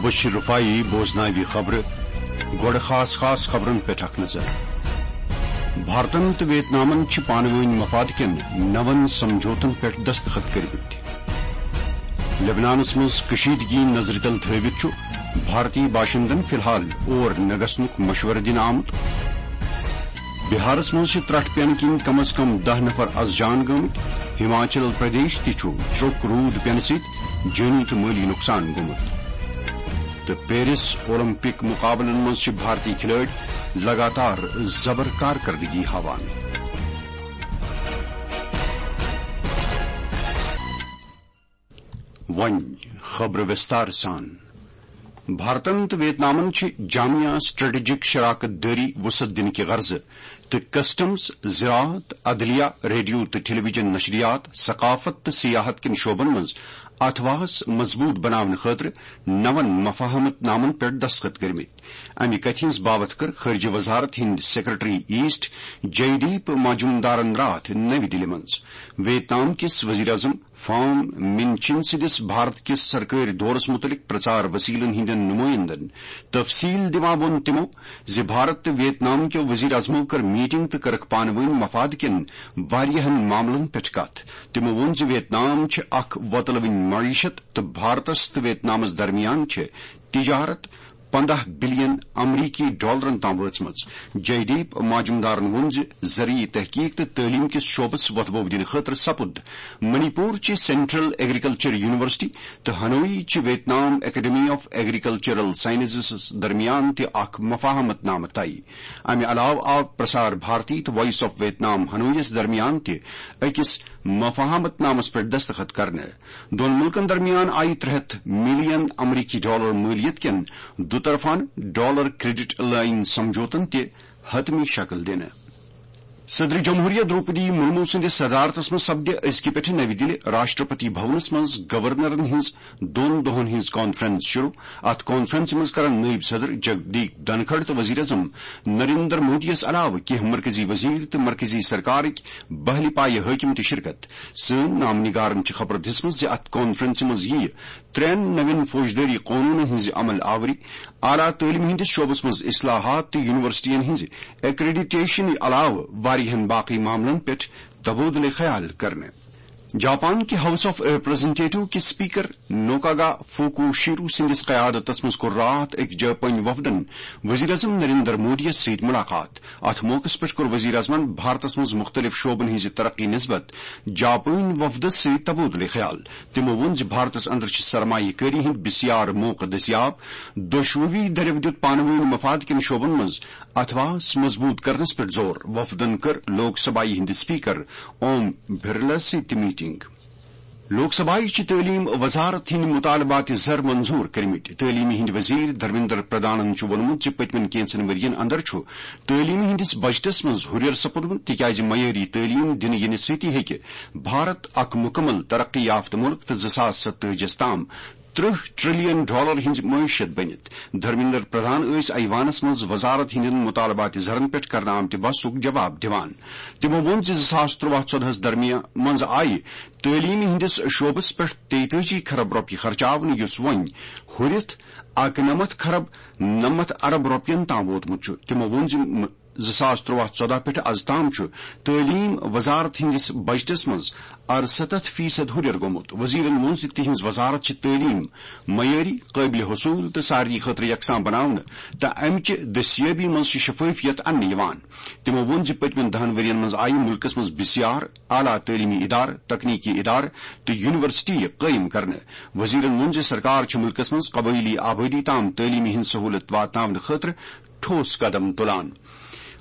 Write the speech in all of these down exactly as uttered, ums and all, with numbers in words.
بشیر رفاعی بوزناوِ خبرٕ۔ گۄڈٕ خاص خاص خبرن پٮ۪ٹھ اکھ نظر۔ بھارتن تہٕ ویتنامن چھِ پانہٕ وٲنۍ مفاد کٮ۪ن نون سمجھوتن پٮ۪ٹھ دستخط کٔرمٕتۍ۔ لبنانس منٛز کشیدگی نظرِ تل تھٲوِتھ چھُ بھارتی باشندن فی الحال اور نہ گژھنُک مشورٕ دِنہٕ آمُت۔ بہارس منٛز چھِ ترٹھ پینہٕ کِنۍ کم از کم دہ نفر از جان گٔمٕتۍ۔ ہماچل پردیش تہِ چھُ چھرٛوٚک روٗد پینہٕ سۭتۍ جٲنی تہٕ مٲلی نۄقصان گوٚمُت۔ تہٕ پیرس اولمپک مقابلن منٛز چھِ بھارتی کھلٲڑۍ لگاتار زبر کارکردگی ہاوان۔ وۄنۍ خبرٕ وِستار سان۔ بھارتن تہٕ ویتنامن چھِ جامع اسٹریٹجک شراکت دٲری وسعت دِنہٕ کہِ غرضہٕ تہٕ کسٹمز، زراعت، عدلیہ، ریڈیو تہٕ ٹیلی ویژن نشریات، ثقافت تہٕ سیاحت کٮ۪ن شعبن منٛز اتھواہس مضبوط بناونہٕ خٲطرٕ نون مفاہمت نامن پٮ۪ٹھ دستخط کٔرمٕتۍ۔ امہِ کتھِ ہٕنٛز باوتھ کٔر خارجہ وزارت ہٕنٛدۍ سیکرٹری ایسٹ جے دیپ ماجمدارن راتھ نَوِ دِلہِ منٛز۔ ویتنام کِس وزیر اعظم فام من چن سٕنٛدِس بھارت کِس سرکٲرۍ دورس مُتعلق پرچار وسیلن ہٕنٛدٮ۪ن نمٲیندن تفصیل دِوان ووٚن تِمو زِ بھارت تہٕ ویتنام کیو وزیر اعظمو کٔر میٹنگ تہٕ کٔرٕکھ پانہٕ وٲنۍ مفاد کٮ۪ن واریاہن معاملن پٮ۪ٹھ کتھ۔ تِمو ووٚن زِ ویتنام چھِ اکھ وۄتلوٕنۍ معیشت تہٕ بھارتس تہٕ ویتنامس درمیان چھِ تجارت پندہ بلین امریکی ڈالرن تام وٲژمٕژ۔ جے دیپ ماجمدارن ووٚن زِ زرعی تحقیق تہٕ تعلیم کِس شعبس وۄتھبو دِنہٕ خٲطرٕ سپُد منی پور چہِ سینٹرل ایگریکلچر یونیورسٹی تہٕ ہنوئی چہِ Vietnam academy of agricultural sciences درمیان تہِ اکھ مفاہمت نامہ طے۔ امہِ علاوٕ آو پرسار بھارتی تہٕ وائس آف ویتنام ہنوئیس درمیان تہِ أکِس مفاہمت نامس پٮ۪ٹھ دستخط کرنہٕ۔ دۄن مُلکن درمیان آیہِ ترٛےٚ ہتھ ملین امریکی ڈالر مٲلیت کٮ۪ن دُطرفانہٕ ڈالر کریڈٹ لائن سمجھوتن تہِ حتمی شکل دِنہٕ۔ صدر جمہوریہ دروپدی مرمو سٕنٛدِس صدارتس منٛز سپدِ أزکہِ پٮ۪ٹھٕ نَوِ دِلہِ راشٹرپتی بھونس منٛز گورنرن ہٕنٛز دۄن دۄہن ہٕنٛز کانفرنس شروع۔ اتھ کانفرنسہِ منٛز کرن نٲیِب صدر جگدیپ دھنکھڑ تہٕ وزیر اعظم نریندر مودیَس علاوٕ کینٛہہ مرکزی وزیر تہٕ مرکزی سرکارٕکۍ بحلی پایہِ حٲکِم تہِ شرکت۔ سٲنۍ نامہ نگارن چھِ خبر دِژمٕژ زِ اتھ کانفرنسہِ منٛز یِیہِ ترٛٮ۪ن نوٮ۪ن فوجدٲری قونوٗنن ہٕنٛزِ عمل آوری، اعلیٰ تعلیمہِ ہٕنٛدِس شعبس منٛز اصلاحات تہٕ یونیورسٹین ہٕنٛزِ ایکریڈیٹیشنہٕ علاوٕ واریاہن باقی معاملن پٮ۪ٹھ تبادلہ خیال کرنہٕ۔ جاپان کہِ ہاؤس آف ریپرزنٹیٹو کہِ اسپیکر نوکاگا فوکو شیرو سٕنٛدِس قیادتس منٛز کوٚر راتھ أکۍ جاپٲنۍ وفدن وزیر اعظم نریندر مودیَس سۭتۍ ملاقات۔ اتھ موقعس پٮ۪ٹھ کوٚر وزیر اعظمن بھارتس منٛز مختلف شعبن ہٕنٛزِ ترقی نسبت جاپٲنۍ وفدس سۭتۍ تبادلہ خیال۔ تِمو ووٚن زِ بھارتس اندر چھِ سرمایہ کٲری ہٕنٛدۍ بسیار موقعہٕ دٔستیاب۔ دۄشوٕے دٔریو دیُت پانہٕ وٲنۍ مفاد کٮ۪ن شعبن منٛز اتھواہس مضبوط کرنس پٮ۪ٹھ زور۔ وفدن کٔر لوک سبھایہ ہٕنٛدِ اسپیکر اوم برلا سۭتۍ تہِ میٹنگ۔ لوک سبھایہ چھِ تعلیم وزارت ہٕنٛدۍ مطالبات زر منظور کٔرمٕتۍ۔ تعلیمہِ ہٕنٛدۍ وزیر دھرمیندر پردھانن چھُ ووٚنمُت زِ پٔتمٮ۪ن کینژن ؤرۍ یَن اندر چھُ تعلیمہِ ہٕنٛدِس بجٹس منٛز ہُرٮ۪ر سپُدمُت، تِکیازِ معیٲری تعلیٖم دِنہٕ یِنہٕ سۭتی ہیٚکہِ بھارت اکھ مُکمل ترقی یافتہٕ مُلک تہٕ زٕ ساس ستٲجی تام ترٕہ ٹریلین ڈالر ہٕنٛز معیشت بٔنِتھ۔ دھرمیندر پردھان ٲسۍ ایوانس منٛز وزارت ہٕنٛدٮ۪ن مطالبات زرن پٮ۪ٹھ کرنہٕ آمتہِ بحثُک جواب دِوان۔ تِمو ووٚن زِ زٕ ساس ترٛواہ ژۄدہَس درمیان منٛز آیہِ تعلیٖمہِ ہٕنٛدِس شعبس پٮ۪ٹھ تیتٲجی کھرب رۄپیہِ خرچاونہٕ، یُس وۄنۍ ہُرِتھ اَکنَمَتھ کھرب نَمَتھ ارب رۄپین تام ووتمُت چھُ۔ تِمو ووٚن زِ م-، زٕ ساس ترٛواہ ژۄداہ پٮ۪ٹھ از تام چھُ تعلیٖم وزارت ہٕنٛدِس بجٹس منٛز ارستتھ فیصد ہُرٮ۪ر گوٚمُت۔ وزیرن ووٚن زِ تِہنٛز وزارت چھِ تعلیٖم معیٲری، قٲبلِ حصوٗل تہٕ سارنٕے خٲطرٕ یکساں بناونہٕ تہٕ امہِ چہِ دستیٲبی منٛز چھِ شفٲفیت اننہٕ یِوان۔ تِمو ووٚن زِ پٔتمٮ۪ن دَہَن ؤرۍ یَن منٛز آیہِ مُلکَس منٛز بسیار اعلیٰ تعلیٖمی ادارٕ، تکنیکی ادارٕ تہٕ یونیورسٹی قٲیِم کرنہٕ۔ وزیرَن ووٚن زِ سرکار چھِ مُلکَس منٛز قبٲئلی آبٲدی تام تعلیٖمی ہٕنٛز سہوٗلت واتناونہٕ خٲطرٕ ٹھوس قدم تُلان۔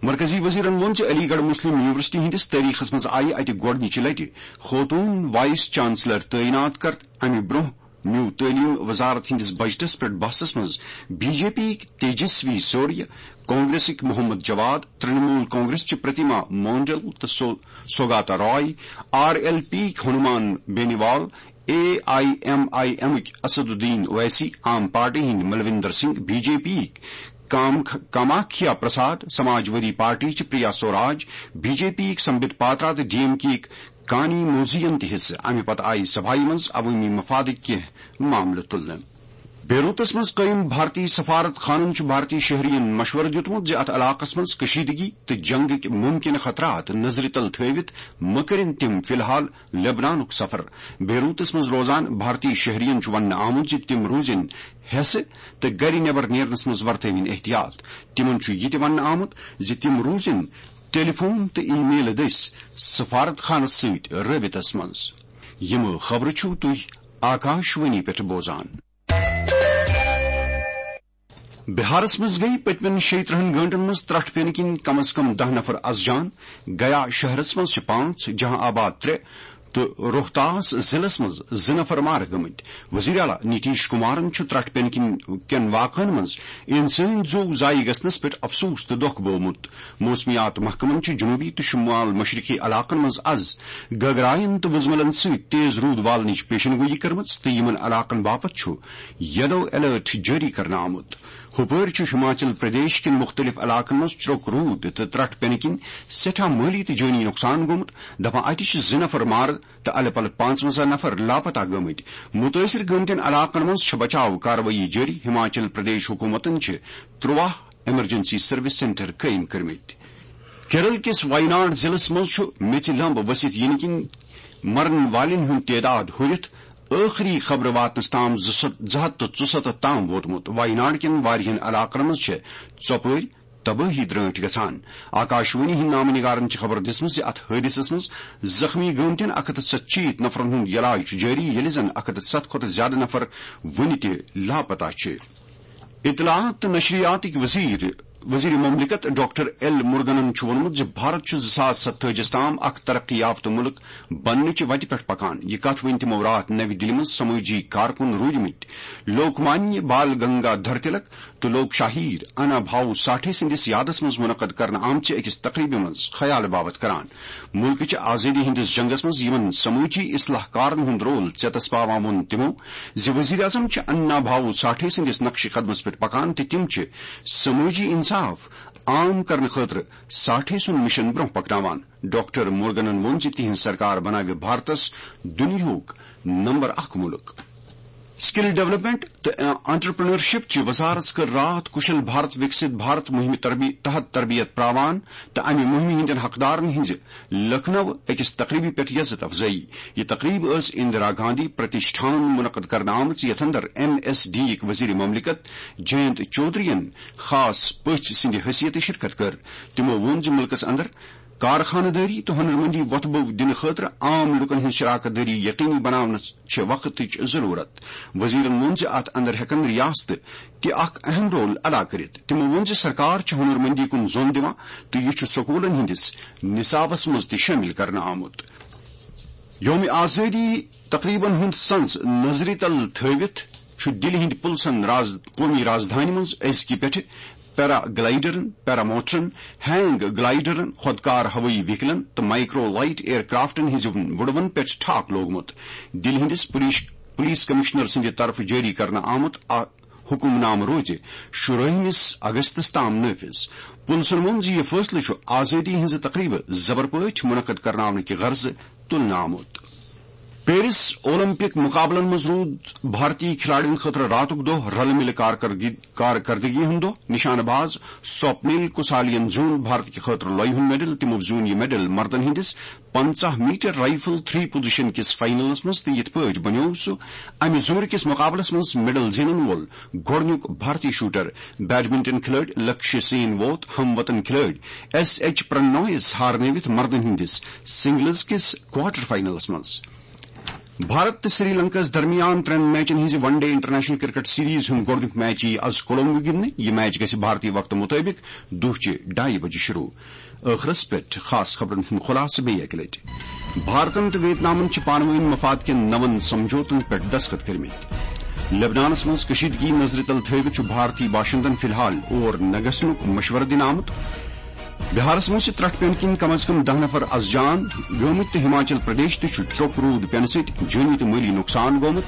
مرکزی وزیرَن ووٚن زِ علی گڑھ مسلم یونیورسٹی ہٕنٛدِس تٲریخَس منٛز آیہِ اَتہِ گۄڈٕنِچہِ لٹہِ خوتوٗن وائس چانسلر تعینات کر۔ اَمہِ برٛونٛہہ نیوٗ تعلیٖم وزارت ہٕنٛدِس بجٹس پٮ۪ٹھ بحثس منٛز بی جے پی یِکۍ تیجسوی سوریا، کانگریسٕکۍ محمد جواد، ترنمول کانگریس چہِ پرتیما مونڈل تہٕ سو-، Sougata Roy, R L P یِکۍ Hanuman Beniwal, A I M I M کۍ اسد الدین اویسی، عام پارٹی ہٕنٛدۍ Malvinder Singh, B J P یِکۍ کام-، کاماکھیا پرساد، سماجوادی پارٹی چہِ Priya Saroj, B J P یِکۍ سمبت پاترا تہٕ ڈی ایم کے یِکۍ کانی موزیَن تہِ حصہٕ۔ اَمہِ پتہٕ آیہِ سبھایہِ منٛز عوٲمی مفادٕکۍ کینٛہہ معاملہٕ تُلنہٕ۔ بیروتس منٛز قٲیِم بھارتی سفارت خانن چھُ بھارتی شہرین مشورٕ دیُتمُت زِ اتھ علاقس منٛز کشیدگی تہٕ جنگٕکۍ ممکنہٕ خطرات نظرِ تل تھٲوِتھ مہٕ کٔرِن تِم فی الحال لبنانُک سفر۔ بیروتس منٛز روزان بھارتی شہرین چھُ وننہٕ آمُت زِ تِم روٗزِن ہٮ۪سہٕ تہٕ گرِ نٮ۪بر نیرنس منٛز ورتٲوِن احتیاط۔ تِمن چھُ یہِ تہِ وننہٕ آمُت زِ تِم روٗزِن ٹیلی فون تہٕ ای میلہٕ دٔسۍ سفارت خانس سۭتۍ رٲبطس منٛز۔ یِم خبرٕ چھِو تُہۍ آکاش وانی پٮ۪ٹھ بوزان۔ بہارس منٛز گٔیہِ پٔتمٮ۪ن شیٚیہِ ترٕٛہن گٲنٛٹن منٛز ترٛٹھ پینہٕ کِنۍ کم از کم دَہ نفر از جان۔ گیا شہرس منٛز چھِ پانٛژھ، جہاں آباد ترٛےٚ تہٕ روہتاس ضلعس منٛز زٕ نفر مارٕ گٔمٕتۍ۔ وزیر اعلیٰ نیتیش کمارن چھُ ترٛٹھ پینہٕ کِنۍ کٮ۪ن واقعن منٛز انسٲنی زُو ضایع گژھنس پٮ۪ٹھ افسوس تہٕ دۄکھ بوومُت۔ موسمیات محکمن چھِ جنوبی تہٕ شمال مشرقی علاقن منٛز از گگراین تہٕ وُزملن سۭتۍ تیز روٗد والنٕچ پیشن گویی کٔرمٕژ تہٕ یِمن علاقن باپتھ چھُ یلو الرٹ جٲری کرنہٕ آمُت۔ ہُپٲرۍ چھُ ہماچل پردیش کٮ۪ن مُختٔلِف علاقن منٛز چرٛوک روٗد تہٕ ترٛٹھ پینہٕ کِنۍ سٮ۪ٹھاہ مٲلی تہٕ جٲنی نۄقصان گوٚمُت۔ دپان، اتہِ چھِ زٕ نفر مارٕ تہٕ الہٕ پلہٕ پانٛژونٛزاہ نفر لاپتہ گٔمٕتۍ۔ مُتٲثر گٔمتٮ۪ن علاقن منٛز چھِ بچاو کاروٲیی جٲری۔ ہماچل پردیش حکوٗمتن چھِ ترٛواہ ایمرجنسی سروس سینٹر قٲیِم کٔرمٕتۍ۔ کیرل کِس وایناڈ ضلعس منٛز چھُ میٚژِ لمب ؤسِتھ یِنہٕ کِنۍ مرن والٮ۪ن ہُنٛد تعداد ہُرِتھ ٲخری خبرٕ واتنس تام زٕ سَتھ، زٕ ہَتھ تہٕ ژُسَتتھ تام ووتمُت۔ وایناڈ کٮ۪ن واریاہن علاقن منٛز چھےٚ ژۄپٲرۍ تبٲہی درٲنٹھۍ گژھان۔ آکاشوانی ہٕنٛدۍ نامہٕ نگارن چھِ خبر دِژمٕژ زِ اتھ حٲدثس منٛز زخمی گٲمتٮ۪ن اَکھ ہَتھ تہٕ ستشیٖتھ نفرن ہُنٛد علاج چھُ جٲری، ییٚلہِ زن اَکھ ہَتھ تہٕ ستھ کھۄتہٕ زیادٕ نفر وُنہِ تہِ لاپتہ چھِ۔ اطلاعات تہٕ نشریاتٕکۍ وزیر، وزیر مملکت ڈاکٹر ایل مرگنن چھُ ووٚنمُت زِ بھارت چھُ زٕ ساس ستٲجِس تام اکھ ترقی یافتہٕ مُلک بننٕچہِ وتہِ پٮ۪ٹھ پکان۔ یہِ کتھ ؤنۍ تِمو راتھ نَوِ دِلہِ منٛز سمٲجی کارکُن روٗدمٕتۍ لوک مانیہ بال گنگا دھر تلک تہٕ لوک شاہیر انا بھاو ساٹھے سٕنٛدِس یادس منٛز منعقد کرنہٕ آمژِ أکِس تقریبہِ منٛز خیال باوت کران۔ مُلکٕچہِ آزٲدی ہٕنٛدِس جنگس منٛز یِمن سمٲجی اصلاح کارن ہُنٛد رول ژیتس پاوان ووٚن تِمو زِ وزیر اعظم چھِ انا بھاو ساٹھے سٕنٛدِس نقشہِ قدمس پٮ۪ٹھ پکان تہٕ تِم چھِ سمٲجی انصاف عام کرنہٕ خٲطرٕ ساٹھے سُنٛد مشن برٛونٛہہ پکناوان۔ ڈاکٹر مورگنن ووٚن زِ تِہنٛز سرکار بناوِ بھارتس دُنیاہُک نمبر اکھ مُلک۔ سکل ڈیولپمنٹ تہٕ انٹرپرینرشپ چہِ وزارت کٔر راتھ کشل بھارت وکست بھارت مہمہِ تربی-، تحت تربیت پراوان تہٕ امہِ مہمہِ ہٕنٛدٮ۪ن حقدارن ہٕنٛزِ لکھنؤ أکِس تقریبہِ پٮ۪ٹھ یزت افزٲیی۔ یہِ تقریب ٲس اندرا گاندھی پرتشٹھانن منعقد کرنہٕ آمٕژ، یتھ اندر ایم ایس ڈی یِک وزیر مملکت جینت چودھرین خاص پٔژھۍ سٕنٛدِ حیثیتہٕ شرکت کٔر۔ تِمو ووٚن زِ مُلکس اندر کارخانہٕ دٲری تہٕ ہُنرمندی وۄتھٕ بوٚو دِنہٕ خٲطرٕ عام لوٗکن ہٕنٛز شراکت دٲری یقینی بناونس چھِ وقتٕچ ضروٗرت۔ وزیرن ووٚن زِ اتھ اندر ہٮ۪کن ریاستہٕ تہِ اکھ اہم رول ادا کٔرِتھ۔ تِمو ووٚن زِ سرکار چھِ ہُنرمندی کُن زۄن دِوان تہٕ یہِ چھُ سکوٗلن ہٕنٛدِس نصابس منٛز تہِ شٲمِل کرنہٕ آمُت۔ یوم آزٲدی تقریبن ہُنٛد سنز نظرِ تل تھٲوِتھ چھُ دِلہِ ہٕنٛدِ پُلسن راز-، قومی رازدھانی منٛز أزکہِ پٮ۪ٹھٕ پیرا گلائیڈرن، پیرا موٹرن، ہینگ گلائیڈرن، خۄدکار ہوٲیی وہیکلن تہٕ مائیکرو لائٹ ایئر کرافٹن ہٕنٛزِ وُڈوَن پٮ۪ٹھ ٹھاک لوگمُت۔ دِلہِ ہٕنٛدِس پُلیٖس، پُلیٖس کمشنر سٕنٛدِ طرفہٕ جٲری کرنہٕ آمُت اکھ حکم نامہٕ روزِ شُرٲہمِس اگستس تام نٲفِذ۔ پُلسن ووٚن زِ یہِ فٲصلہٕ چھُ آزٲدی ہٕنٛزِ تقریبہٕ زبر پٲٹھۍ منعقد کرناونہٕ کہِ غرضہٕ تُلنہٕ آمُت۔ پیرس اولمپک مقابلن منٛز روٗد بھارتی کھلاڑین خٲطرٕ راتُک دۄہ رلہٕ مِلہٕ کارکردگی، کارکردگی ہُنٛد دۄہ۔ نشانہٕ باز سوپنیل کسالین زیوٗن بھارت کہِ خٲطرٕ لۄیہِ ہُنٛد میڈل۔ تِمو زیوٗن یہِ میڈل مردن ہٕنٛدِس پنٛژاہ میٹر رائفل تھری پوزیشن کِس فائنلس منٛز تہٕ یِتھ پٲٹھۍ بنیوو سُہ امہِ زمرٕ کِس مقابلس منٛز میڈل زینن وول گۄڈٕنیُک بھارتی شوٹر۔ بیڈمنٹن کھلٲڑۍ لکشیہ سین ووت ہم وطن کھلٲڑۍ ایس ایچ پرنویس ہارنٲوِتھ مردن ہٕنٛدِس سنگلز کِس کوارٹر فائنلس منٛز۔ بھارت تہٕ سری لنکاہس درمیان ترٛٮ۪ن میچن ہٕنٛزِ ون ڈے انٹرنیشنل کرکٹ سیریز ہُنٛد گۄڈٕنیُک میچ یِیہِ از کولمبو گِنٛدنہٕ۔ یہِ میچ گژھِ بھارتی وقتہٕ مُطٲبِق دُہچہِ ڈایہِ بجہِ شروع۔ ٲخرس پٮ۪ٹھ خاص خبرن ہُنٛد خلاصہٕ بیٚیہِ اکہِ لٹہِ۔ بھارتن تہٕ ویتنامن چھِ پانہٕ وٲنۍ مفاد کٮ۪ن نَوَن سمجھوتن پٮ۪ٹھ دستخط کٔرمٕتۍ۔ لبنانس منٛز کشیدگی نظرِ تل تھٲوِتھ چھُ بھارتی باشندن فی الحال اور نہ گژھنُک مشورٕ دِنہٕ آمُت۔ بہارس منٛز چھِ ترٹھ پینہٕ کِنۍ کم از کم دَہ نفر از جان گٲمٕتۍ تہٕ ہماچل پردیش تہِ چھُ چرٛوک روٗد پینہٕ سۭتۍ جٲنی تہٕ مٲلی نۄقصان گوٚمُت۔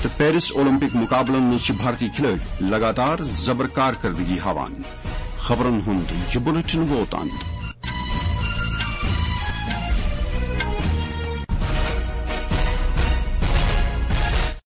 تہٕ پیرس اولمپک مقابلن منٛز چھِ بھارتی کھلٲڑۍ لگاتار زبر کارکردگی ہاوان۔ خبرن ہُنٛد یہِ بُلٹن ووت اند۔